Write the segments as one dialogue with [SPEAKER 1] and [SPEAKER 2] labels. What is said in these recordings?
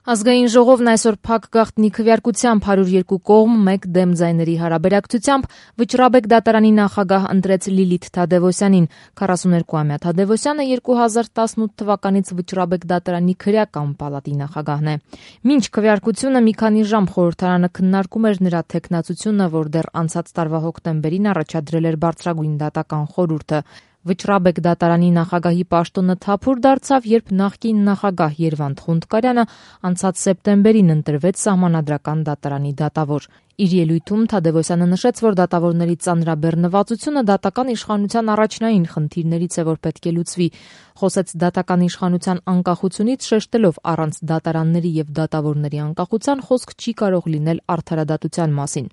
[SPEAKER 1] Ազգային ժողովն այսօր փակ գաղտնի քվեարկությամբ 102 կողմ 1 դեմ ձայների հարաբերակցությամբ Վճռաբեկ դատարանի նախագահ ընտրեց Լիլիթ Թադևոսյանին։ 42-ամյա Թադևոսյանը 2018 թվականից Վճռաբեկ դատարանի քրեական պալատի նախագահն է։ Մինչ քվեարկությունը մի քանի ժամ խորհրդարանը քննարկում էր նրա թեկնածությունը, որ դեռ անցած տարվա հոկտեմբերին առաջադրել էր բարձրագույն դատական խորհուրդը։ Վճռաբեկ դատարանի նախագահի պաշտոնը թափուր դարձավ, երբ նախկին նախագահ Երվանդ Խունդկարյանը անցած սեպտեմբերին ընտրվեց Սահմանադրական դատարանի դատավոր։ Իր ելույթում Թադևոսյանը նշեց, որ դատավորների ծանրաբեռնվածությունը դատական իշխանության առաջնային խնդիրներից է, որ պետք է լուծվի։ Խոսեց դատական իշխանության անկախությունից, շեշտելով առանց դատարանների եւ դատավորների անկախության խոսք չի կարող լինել արդարադատության մասին։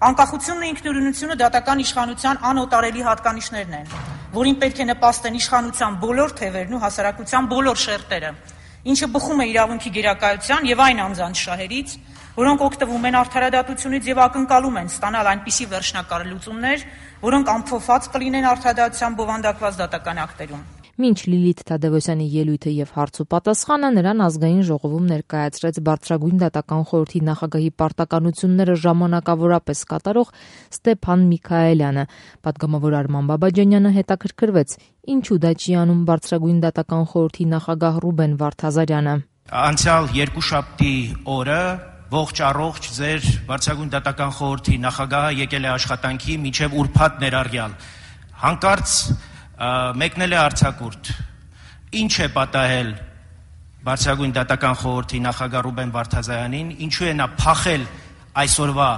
[SPEAKER 2] Անկախությունն ու ինքնուրույնությունը դատական իշխանության անօտարելի հատկանիշներն են, որին պետք է նպաստեն իշխանության բոլոր թևերն ու հասարակության բոլոր շերտերը, ինչը բխում է իրավունքի գերակայության եւ այն անձանց շահերից, որոնք օգտվում են արդարադատությունից եւ ակնկալում են ստանալ այնպիսի վերջնակար լուծումներ, որոնք ամփոփված կլինեն արդարադատության բովանդակված դատական ակտերում։
[SPEAKER 1] Մինչ Լիլիթ Թադևոսյանի ելույթը եւ հարց ու պատասխանը նրան ազգային ժողովում ներկայացրեց բարձրագույն դատական խորհրդի նախագահի պարտականությունները ժամանակավորապես կատարող Ստեփան Միքայելյանը։ Պատգամավոր Արման Բաբաջանյանը հետաքրքրվեց, ինչու դա չի անում բարձրագույն դատական խորհրդի նախագահ Ռուբեն Վարդազարյանը։
[SPEAKER 3] Անցյալ երկուշաբթի օրը ողջ առողջ ձեր բարձրագույն դատական խորհրդի նախագահը եկել է աշխատանքի մինչև ուրբաթ ներառյալ։ Հանկարծ մեկնել է արձակուրդ։ Ինչ է պատահել բարձրագույն դատական խորհրդի նախագահ Ռուբեն Վարդազարյանին, ինչու է նա փախել այսօրվա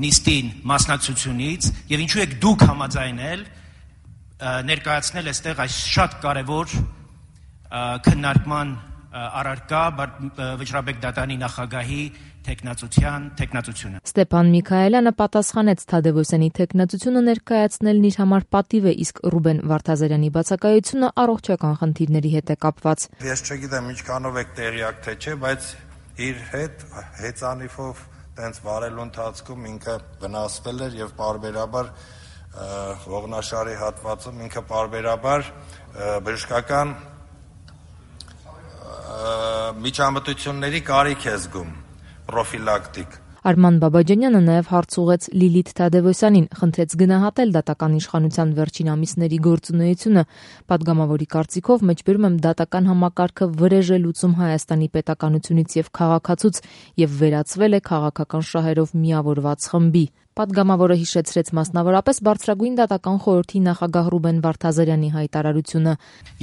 [SPEAKER 3] նիստին մասնակցությունից եւ ինչու եք դուք համաձայնել ներկայացնել այստեղ այս շատ կարևոր քննարկման առարկա Վճռաբեկ դատարանի նախագահի թեկնածությունը։
[SPEAKER 1] Ստեփան Միքայելյանը պատասխանեց Թադևոսյանի թեկնածությունը ներկայացնելն իր համար պատիվ է, իսկ Ռուբեն Վարդազարյանի բացակայությունը առողջական խնդիրների հետ է կապված։
[SPEAKER 4] Ես չգիտեմ ինչքանով եք տեղյակ թե չէ, բայց իր հետ հեծանիվով տենց վարելու ընթացքում ինքը վնասվել էր եւ պարբերաբար ողնաշարի հատվածում ինքը պարբերաբար բժշկական միջամտությունների կարիք է զգում, պրոֆիլակտիկ։
[SPEAKER 1] Արման Բաբաջանյանը նաև հարց ուղեց Լիլիթ Թադևոսյանին, խնդրեց գնահատել դատական իշխանության վերջին ամիսների գործունեությունը։ Պատգամավորի կարծիքով մեջբերում եմ դատական համակարգը վրեժ է լուծում Հայաստանի պետականությունից եւ քաղաքացուց եւ վերածվել է քաղաքական շահերով միավորված խմբի։ Պատգամավորը հիշեցրեց մասնավորապես բարձրագույն դատական խորհրդի նախագահ Ռուբեն Վարդազարյանի հայտարարությունը։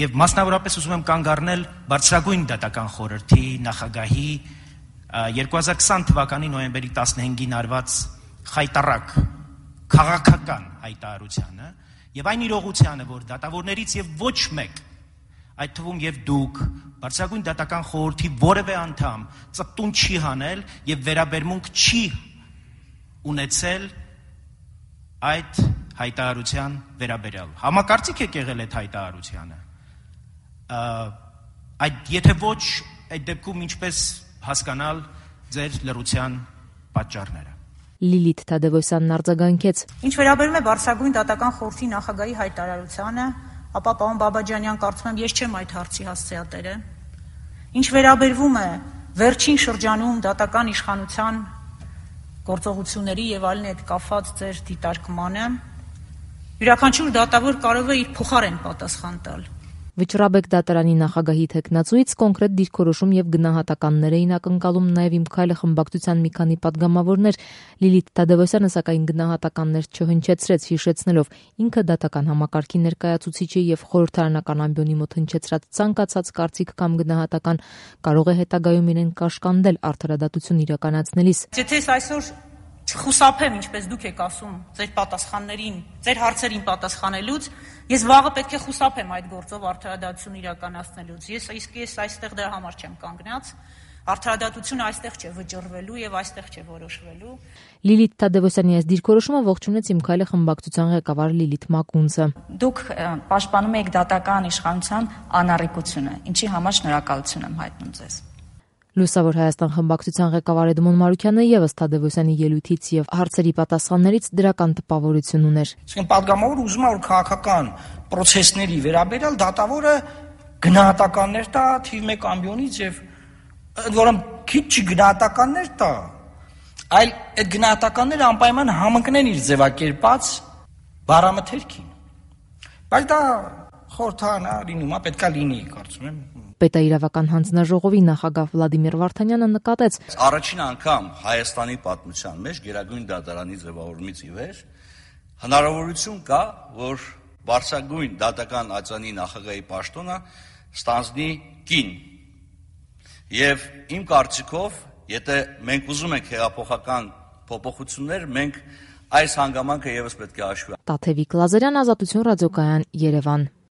[SPEAKER 3] Եվ մասնավորապես ուզում եմ կանգ առնել բարձրագույն դատական խորհրդի նախագահի 2020 թվականի նոյեմբերի 15-ին արված խայտառակ քաղաքական հայտարարությանը եւ այն իրողությանը, որ դատավորներից եւ ոչ մեկ, այդ թվում եւ դուք, բարձրագույն դատական խորհրդի որևէ անդամ ծպտուն չի հանել եւ վերաբերմունք չի ունեցել այդ հայտարարության վերաբերյալ։ Համակարծիք եք եղել այդ հայտարարությանը։ Եթե ոչ, այդ դեպքում ինչպես հասկանալ ձեր լռության պատճառները։
[SPEAKER 1] Լիլիթ Թադևոսյանն արձագանքեց.
[SPEAKER 2] Ինչ վերաբերում է բարձրագույն դատական խորհրդի նախագահի հայտարարությանը, ապա պարոն Բաբաջանյան, կարծում եմ ես չեմ այդ հարցի հասցեատերը։ Ինչ վերաբերվում է վերջին շրջանում դատական իշխանության գործողությունների եւ այլն հետ կապված ձեր դիտարկմանը, յուրաքանչյուր դատավոր կարող է իր փոխարեն պատասխան տալ։
[SPEAKER 1] Վճռաբեկ դատարանի նախագահի թեկնածուից կոնկրետ դիրքորոշում եւ գնահատականներ էին ակնկալում նաեւ Իմ քայլը խմբակցության մի քանի պատգամավորներ։ Լիլիթ Թադևոսյանը սակայն գնահատականներ չհնչեցրեց, հիշեցնելով ինքը դատական համակարգի ներկայացուցիչ է եւ խորհրդարանական ամբիոնի մոտ հնչեցրած ցանկացած կարծիք կամ գնահատական կարող է հետագայում իրեն կաշկանդել արդարադատություն իրականացնելիս։
[SPEAKER 2] Եթե այսօր չխուսափեմ, ինչպես դուք եք ասում, ձեր պատասխաններին, ձեր հարցերին պատասխանելուց, ես վաղը պետք է խուսափեմ այդ գործով արդարադատություն իրականացնելուց։ Ես այստեղ դրա համար չեմ կանգնած։ Արդարադատությունը այստեղ չէ վճռվելու եւ այստեղ չէ որոշվելու։
[SPEAKER 1] Լիլիթ Թադևոսյանի այս դիրքորոշումը ողջունեց Իմ քայլը խմբակցության ղեկավար Լիլիթ Մակունցը։
[SPEAKER 5] Դուք պաշտպանում եք դատական իշխանության անառիկությունը, ինչի համար շնորհակալություն եմ հայտնում ձեզ։
[SPEAKER 1] Լուսավոր Հայաստան խմբակցության ղեկավար Էդմոն Մարուքյանը եւս Թադևոսյանի ելույթից եւ հարցերի պատասխաններից դրական տպավորություն ուներ։
[SPEAKER 6] Իսկ պատգամավորը ուզում է որ քաղաքական process-ների վերաբերյալ դատավորը գնահատականներ տա թիվ 1 ամբիոնից եւ ընդ որում քիչ գնահատականներ տա, այլ այդ գնահատականները անպայման համընկնեն իր ձևակերպած բառամթերքին։ Բայց դա խորհրդանա լինում, պետքա լինի, կարծում եմ։
[SPEAKER 1] Պետաիրավական հանձնաժողովի նախագահ Վլադիմիր Վարդանյանը նկատեց.
[SPEAKER 7] Առաջին անգամ Հայաստանի պատմության մեջ Գերագույն դատարանի ձևավորումից ի վեր հնարավորություն կա, որ բարձրագույն դատական ածանի նախագահի պաշտոնը ստանձնի կին։ Եվ իմ կարծիքով, եթե մենք ուզում ենք հեղափոխական փոփոխություններ, մենք այս հանգամանքը ևս պետք է հաշվի։
[SPEAKER 1] Տաթևիկ Լազարյան, Ազատություն ռադիոկայան, Երևան։